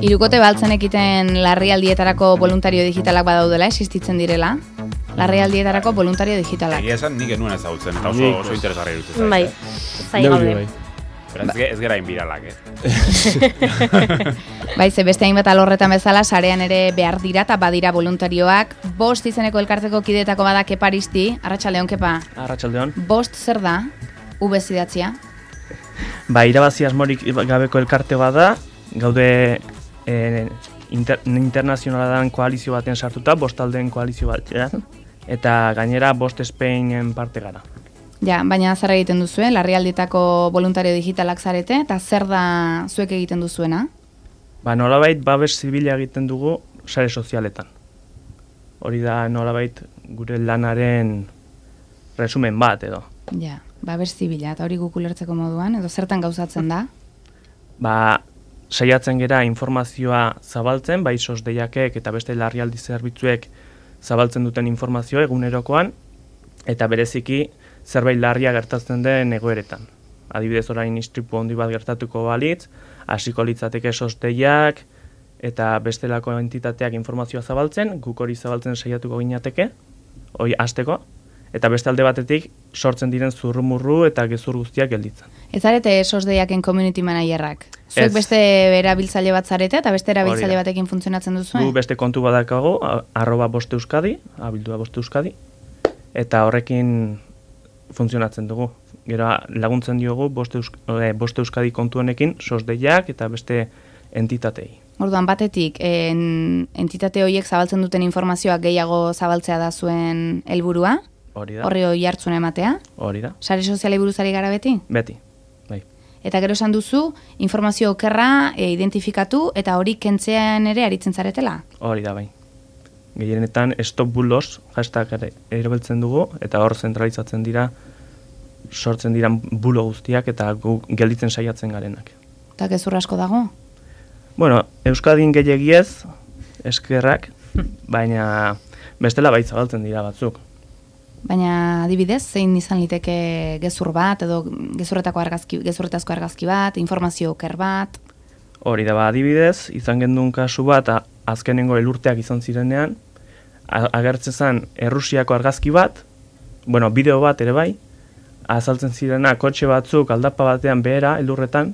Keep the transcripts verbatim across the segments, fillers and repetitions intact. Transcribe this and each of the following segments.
Hirukote baltzen ekiten larrialdietarako voluntario digitalak badaudela, existitzen direla. Larrialdietarako voluntario digitalak. Egia esan nik genuen ezagutzen, eta oso, oso interesgarri dut. Bai, zai gaude. Ez gera inbiralak, eh? Bai, ze beste hainbat alorretan bezala, sarean ere behar dira eta badira voluntarioak. Bost izeneko elkarteko kidetako bada Keparisti. Arratsaldeon, Kepa. Arratsaldeon. Bost zer da? U B idatzia? Ba, irabazi asmorik gabeko elkarte bada, gaude eh, inter, internazionaladan koalizio baten sartuta, bost aldeen koalizio batean, eta gainera bost Espainen parte gara. Ja, baina zer egiten duzue, larrialdietako voluntario digitalak zarete, eta zer da zuek egiten duzuena? Ba, nolabait babes zibila egiten dugu sare sozialetan. Hori da nolabait gure lanaren resumen bat edo. Ja, babes zibila, eta hori guk ulertzeko moduan, edo zertan gauzatzen da? Ba, saiatzen gera informazioa zabaltzen, bai sos deiakek eta beste larrialdi zerbitzuek zabaltzen duten informazioa egunerokoan, eta bereziki zerbait larria gertatzen den egoeretan. Adibidez orain istripu handi bat gertatuko balitz, hasiko litzateke sosteiak eta bestelako entitateak informazioa zabaltzen, guk hori zabaltzen saiatuko ginateke, hori hasteko, eta beste alde batetik sortzen diren zurrumurru eta gezur guztiak gelditzen. Ez zarete sosdeiaken community managerrak? Zuek beste erabiltzaile bat zarete eta beste erabiltzaile batekin funtzionatzen duzu? Gu beste kontu badakago, arroba boste euskadi, abildua boste euskadi, eta horrekin funtzionatzen dugu. Gero laguntzen diogu boste, eusk, eh, boste euskadi kontu honekin sosdeiak eta beste entitatei. Orduan batetik, en, entitate horiek zabaltzen duten informazioak gehiago zabaltzea da zuen helburua? Hori da. Horri hori hartzuna ematea? Hori da. Sare sozialei buruzari gara beti? Beti, bai. Eta gero esan duzu, informazio okerra e, identifikatu eta hori kentzean ere aritzen zaretela? Hori da, bai. Gehienetan stop bulos hashtag erabiltzen dugu eta hor zentralizatzen dira sortzen diran bulo guztiak eta gu gelditzen saiatzen garenak. Eta gezur asko dago? Bueno, Euskadin gehiagiez eskerrak, baina bestela bai zabaltzen dira batzuk. Baina adibidez, zein izan liteke gezur bat edo gezurretako argazki, gezurretazko argazki bat, informazio oker bat? Hori da, ba, adibidez, izan gendun kasu bat azkenengo elurteak izan zirenean, agertzen zen Errusiako argazki bat, bueno, bideo bat ere bai, azaltzen zirena kotxe batzuk aldapa batean behera, elurretan,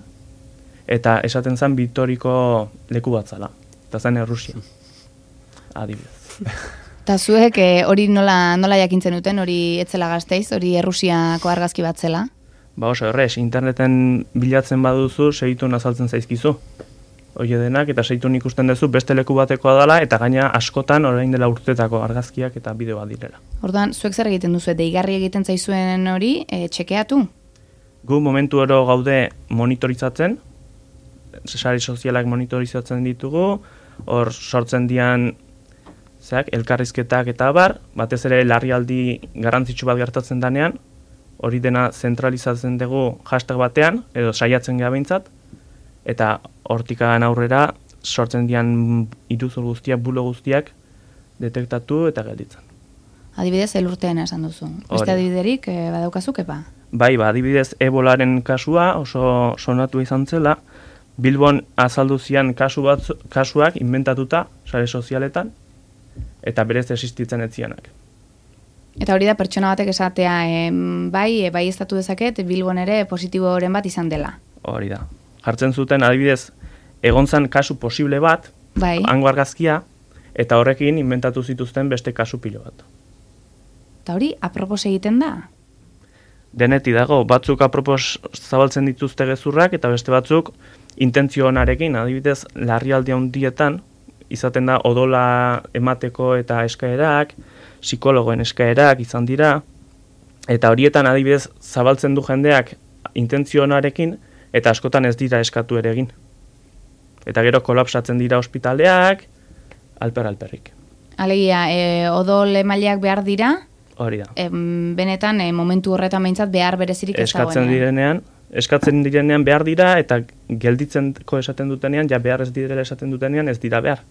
eta esaten zen Bitoriko leku bat zala. Eta zen Errusia. Adibidez. Eta zuek hori nola, nola jakintzen duten, hori etzela Gasteiz, hori Errusiako argazki bat zela? Ba oso, errez, interneten bilatzen baduzu, segitun azaltzen zaizkizu. Hori denak, eta segitun ikusten duzu beste leku batekoa dela, eta gaina askotan orain dela urtetako argazkiak eta bideoa direla. Orduan, zuek zer egiten duzu, deigarri egiten zaizuen hori, e, txekeatu? Gu momentu oro gaude monitorizatzen, sare sozialak monitorizatzen ditugu, hor sortzen dian zeak, elkarrizketak eta abar, batez ere larrialdi garrantzitsu bat gertatzen danean, hori dena zentralizatzen dugu hashtag batean, edo saiatzen geha behintzat, eta hortikan aurrera sortzen dian iruzur guztiak, bulo guztiak detektatu eta gelditzen. Adibidez, elurtean esan duzu. Beste adibiderik e, badaukazu, Kepa? Bai, ba, adibidez, ebolaren kasua oso sonatu izan zela, Bilbon azaldu zian kasu batzu, kasuak inventatuta sare sozialetan, eta berez existitzen ez zianak. Eta hori da pertsona batek esatea, e, bai, e, bai estatu dezaket, Bilbon ere positiboren bat izan dela. Hori da. Jartzen zuten, adibidez, egon zan kasu posible bat, bai. Hango argazkia, eta horrekin inventatu zituzten beste kasu pilo bat. Eta hori, apropos egiten da? Deneti dago, batzuk apropos zabaltzen dituzte gezurrak, eta beste batzuk intentzio onarekin, adibidez, larrialdi handietan, izaten da odola emateko eta eskaerak, psikologoen eskaerak izan dira, eta horietan adibidez zabaltzen du jendeak intentzio onarekin, eta askotan ez dira eskatu ere egin. Eta gero kolapsatzen dira ospitaleak, alper-alperrik. Alegia, e, odol emaileak behar dira, hori da. E, benetan, e, momentu horretan behintzat behar berezirik ez dagoenean. Eskatzen direnean, eskatzen direnean behar dira, eta gelditzeko esaten dutenean, ja behar ez direla esaten dutenean, ez dira behar.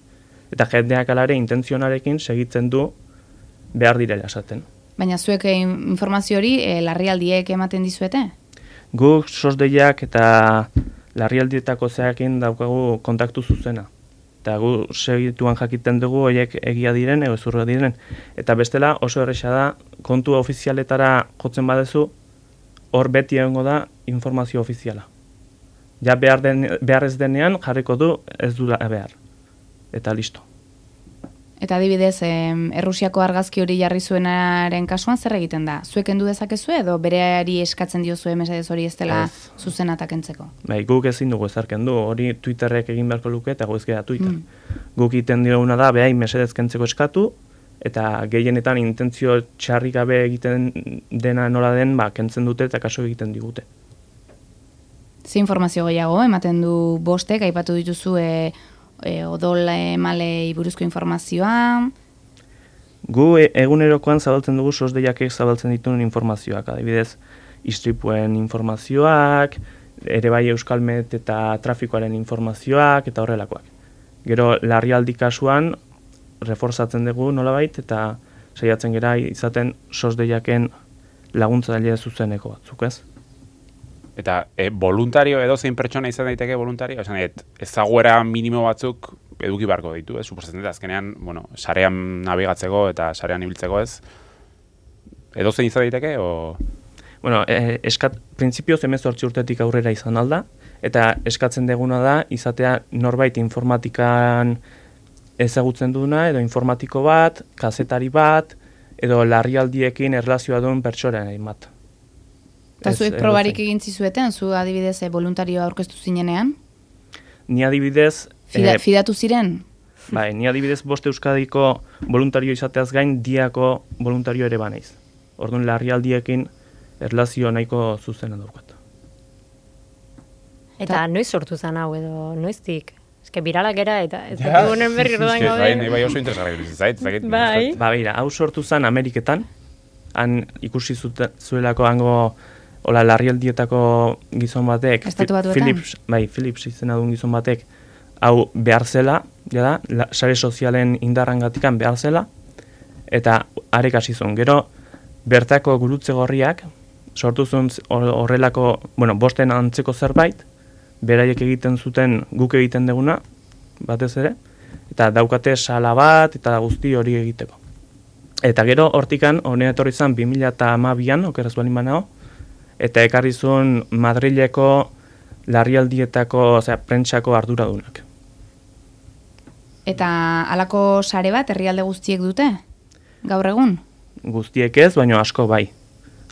Eta jendeak alare intentzionarekin segitzen du behar direla esaten. Baina zuek informazio hori e, larrialdiek ematen dizuete? Guk sosdeiak eta larrialdietako zeakin daukagu kontaktu zuzena. eta gu segituan jakiten dugu horiek egia diren, edo ezurra diren. Eta bestela oso erresa da, kontu ofizialetara jotzen badezu, hor beti egongo da informazio ofiziala. Ja behar, den, behar ez denean jarriko du ez du behar. Eta listo. Eta adibidez, em, Errusiako argazki hori jarri zuenaren kasuan zer egiten da? Zuek kendu dezakezu edo bereari eskatzen diozue mesedez hori ez dela zuzenata kentzeko? Bai, guk ezin dugu ezar kendu, hori Twitterrek egin beharko luke eta gu ez gara Twitter. Mm. Guk iten dioguna da, behai mesedez kentzeko eskatu, eta gehienetan intentzio txarri gabe egiten dena nola den, ba, kentzen dute eta kaso egiten digute. Ze informazio gehiago, ematen du bostek, aipatu dituzu e, e, odol emalei buruzko informazioa? Gu e, egunerokoan zabaltzen dugu sosdeiakek zabaltzen dituen informazioak, adibidez, istripuen informazioak, ere bai Euskalmet eta trafikoaren informazioak eta horrelakoak. Gero larrialdi kasuan reforzatzen dugu nolabait eta saiatzen gera izaten sosdeiaken laguntzaile zuzeneko batzuk, ez? Eta e, voluntario edo zein pertsona izan daiteke voluntario, esan et, ezaguera minimo batzuk eduki barko ditu, ez? Suposatzen dut, azkenean, bueno, sarean nabigatzeko eta sarean ibiltzeko, ez? Edo zein izan daiteke, o... Bueno, eh, eskat, printzipioz hemezortzi urtetik aurrera izan alda, eta eskatzen deguna da, izatea norbait informatikan ezagutzen duna, edo informatiko bat, kazetari bat, edo larrialdiekin erlazioa duen pertsonen bat. Eta zuek probarik egin zizueten, zu adibidez e, voluntarioa aurkeztu zinenean? Ni adibidez... Fida, eh, fidatu ziren? Bai, ni adibidez bost Euskadiko voluntario izateaz gain diako voluntario ere banaiz. Orduan larrialdiekin erlazio nahiko zuzena daukat. Eta noiz sortu zen hau edo noiztik? Eske biralak era eta ez da honen berri rodan gaude. Bai, bai oso interesgarri zait, zait. Bai. Ba, beira, hau sortu zen Ameriketan, han ikusi zute, zuelako hango hola larrialdietako gizon batek, Estatu batuetan? Philips, bai, Philips izena duen gizon batek, hau behar zela, jada, la, sare sozialen indarrangatikan behar zela, eta arek hasi zuen. Gero, bertako gurutze gorriak, sortu zuen horrelako, bueno, bosten antzeko zerbait, beraiek egiten zuten guk egiten deguna, batez ere, eta daukate sala bat, eta guzti hori egiteko. Eta gero, hortikan, honea etorri zen bi mila hamabian, okeraz balin banao, eta ekarri zuen Madrileko larrialdietako, osea, prentsako arduradunak. Eta halako sare bat herrialde guztiek dute? Gaur egun? Guztiek ez, baina asko bai.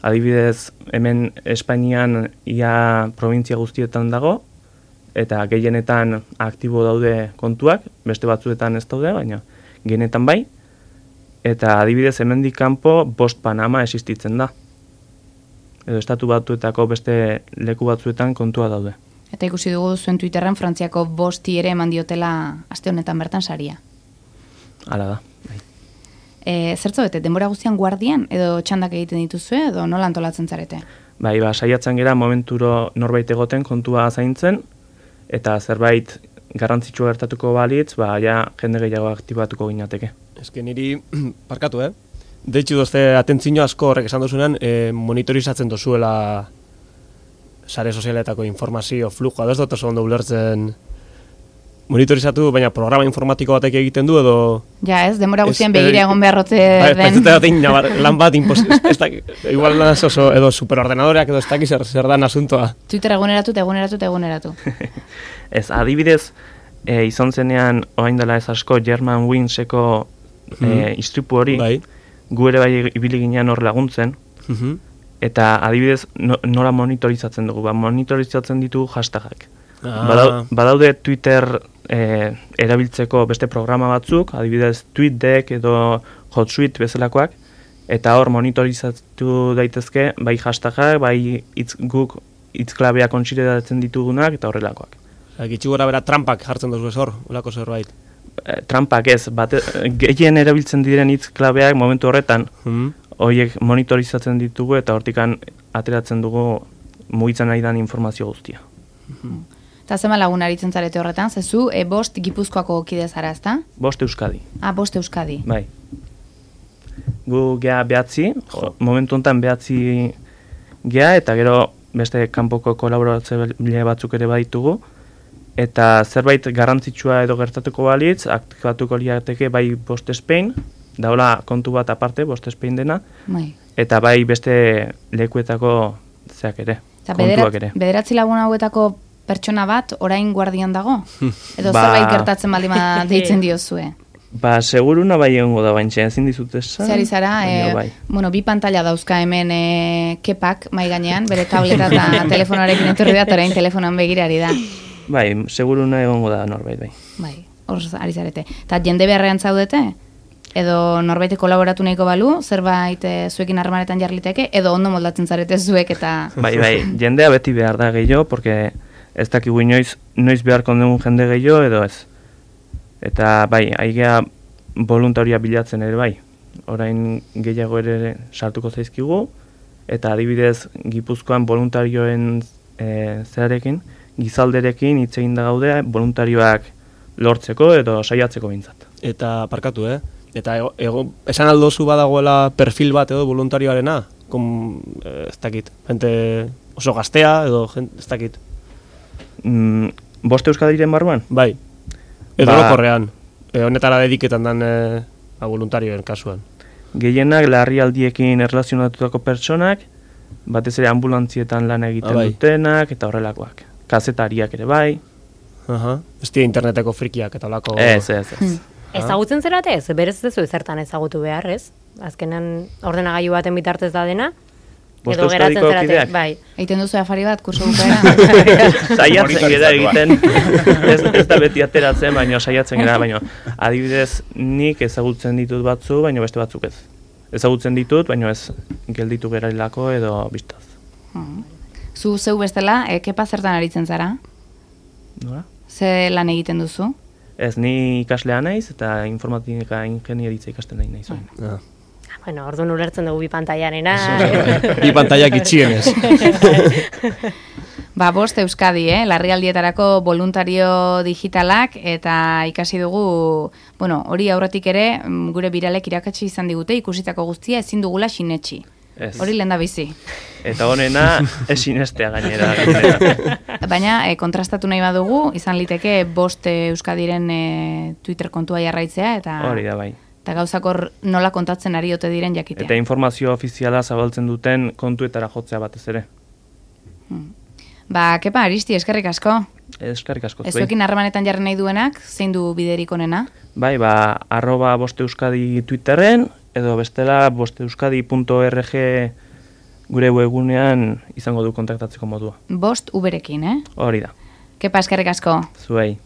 Adibidez, hemen Espainian ia provintzia guztietan dago, eta gehienetan aktibo daude kontuak, beste batzuetan ez daude, baina gehienetan bai. Eta adibidez, hemendik kanpo bost Panama existitzen da. Edo estatu batuetako beste leku batzuetan kontua daude. Eta ikusi dugu zuen Twitterren Frantziako bosti ere eman diotela aste honetan bertan saria. Hala da. Bai. E, zertzo bete, denbora guztian guardian edo txandak egiten dituzue edo nola antolatzen zarete? Bai, ba, saiatzen gera momenturo norbait egoten kontua zaintzen, eta zerbait garrantzitsua gertatuko balitz, ba, ja jende gehiago aktibatuko ginateke. Eske niri, parkatu, eh? Deitxu dozte atentzino asko horrek esan duzunean, eh, monitorizatzen dozuela sare sozialetako informazio flujoa, da ez dut oso ondo ulertzen monitorizatu, baina programa informatiko batek egiten du edo... Ja ez, denbora guztian begira egon beharrote ba, den. Ez dut lan bat, impos, ez da, igual naz oso, edo superordenadoreak edo ez dakiz zer, zer dan asuntoa. Twitter eguneratu, eguneratu, eguneratu. Ez, adibidez, e, izan zenean, orain dela ez asko, German Wingseko e, istripu hori, bai. Gu ere bai ibili ginean hor laguntzen, uh-huh. Eta adibidez no, nola monitorizatzen dugu, ba, monitorizatzen ditugu hashtagak. Ah. Badau, badaude Twitter e, erabiltzeko beste programa batzuk, adibidez TweetDeck edo HotSuite bezalakoak, eta hor monitorizatu daitezke bai hashtagak, bai itz, guk hitzklabea kontsideratzen ditugunak eta horrelakoak. Gitxu gora bera trampak jartzen duzu ez hor, ulako zerbait. Trampak ez, bate, gehien erabiltzen diren hitz klabeak momentu horretan, horiek hmm. monitorizatzen ditugu eta hortikan ateratzen dugu mugitzen nahi dan informazio guztia. Hmm. Eta zema lagun aritzen zarete horretan, zezu e, bost Gipuzkoako kide zara, ezta? Bost Euskadi. Ah, bost Euskadi. Bai. Gu gea behatzi, momentu honetan behatzi gea, eta gero beste kanpoko kolaboratzaile batzuk ere baditugu, eta zerbait garrantzitsua edo gertatuko balitz, aktibatuko liateke bai Bost Spain, daula kontu bat aparte, Bost Spain dena, Bai. eta bai beste lekuetako zeak ere, Eta kontuak bederat, ere. bederatzi lagun hauetako pertsona bat orain guardian dago? Edo Ba- zerbait gertatzen baldin bada deitzen diozue? Ba, seguruna bai egongo da baintxe, ezin dizut esan. Zehari zara, baina e, bai. bueno, bi pantalla dauzka hemen e, kepak mai gainean, bere tableta eta telefonoarekin etorri da, eta orain telefonoan begirari da. Bai, seguruna egongo da norbait, bai. Bai, hor ari zarete. Eta jende beharrean zaudete? Edo norbait kolaboratu nahiko balu, zerbait e, zuekin harremanetan jarliteke, edo ondo moldatzen zarete zuek eta... Bai, bai, jendea beti behar da gehiago, porque ez dakigu inoiz, noiz beharko dugun jende gehiago edo ez. Eta bai, aigea voluntaria bilatzen ere bai. Orain gehiago ere sartuko zaizkigu, eta adibidez Gipuzkoan voluntarioen e, zearekin, gizalderekin hitz egin da gaude voluntarioak lortzeko edo saiatzeko behintzat. Eta parkatu, eh? Eta ego, ego, esan aldozu badagoela perfil bat edo voluntarioarena? Kom, eh, ez dakit, jente oso gaztea edo jente, ez dakit. Mm, Bost Euskadiren barruan? Bai, edo Ba- orokorrean. E, honetara dediketan dan e, a voluntarioen kasuan. Gehienak larrialdiekin erlazionatutako pertsonak, batez ere ambulantzietan lan egiten Ah, bai. dutenak eta horrelakoak. Kazetariak ere bai. Aha. Ez dira interneteko frikiak eta olako... Ez, ez, ez. Ezagutzen zerate ez, berez ez duzu zertan ezagutu behar, ez? Azkenan ordenagailu baten bitartez da dena, Bost edo geratzen Euskadiko zerate, kideak? bai. Egiten duzu afari bat, kurso bukaera? Saiatzen gara Monitorizatua. egiten, ez, ez da beti ateratzen, baina saiatzen gara, baina adibidez nik ezagutzen ditut batzu, baina beste batzuk ez. Ezagutzen ditut, baina ez gelditu geralako edo biztaz. Zu zeu bestela, e, kepa zertan aritzen zara? Nola? Ze lan egiten duzu? Ez, ni ikaslea naiz eta informatika ingenieritza ikasten nahi naiz. orain. Ah. Bueno, orduan ulertzen dugu bi pantailanena. Bi pantaiak itxienez. Ba, Bost Euskadi, eh? Larrialdietarako voluntario digitalak, eta ikasi dugu, bueno, hori aurretik ere, mm, gure biralek irakatsi izan digute, ikusitako guztia ezin dugula sinetxi. Ez. Hori lehen da bizi. Eta honena esinestea gainera. gainera. Baina, e, kontrastatu nahi badugu, izan liteke Bost Euskadiren e, Twitter kontua jarraitzea, eta, Hori da bai. eta gauzakor nola kontatzen ari ote diren jakitea. Eta informazio ofiziala zabaltzen duten kontuetara jotzea batez ere. Ba, kepa, Aristi, eskerrik asko. Eskerrik asko zuei. Ezuekin harremanetan jarri nahi duenak, zein du biderik onena? Bai, ba, arroba Bost Euskadi Twitterren, edo bestela bosteuskadi punto org gure webgunean izango du kontaktatzeko modua. Bost uberekin, eh? Hori da. Kepa, eskerrik asko. Zuei.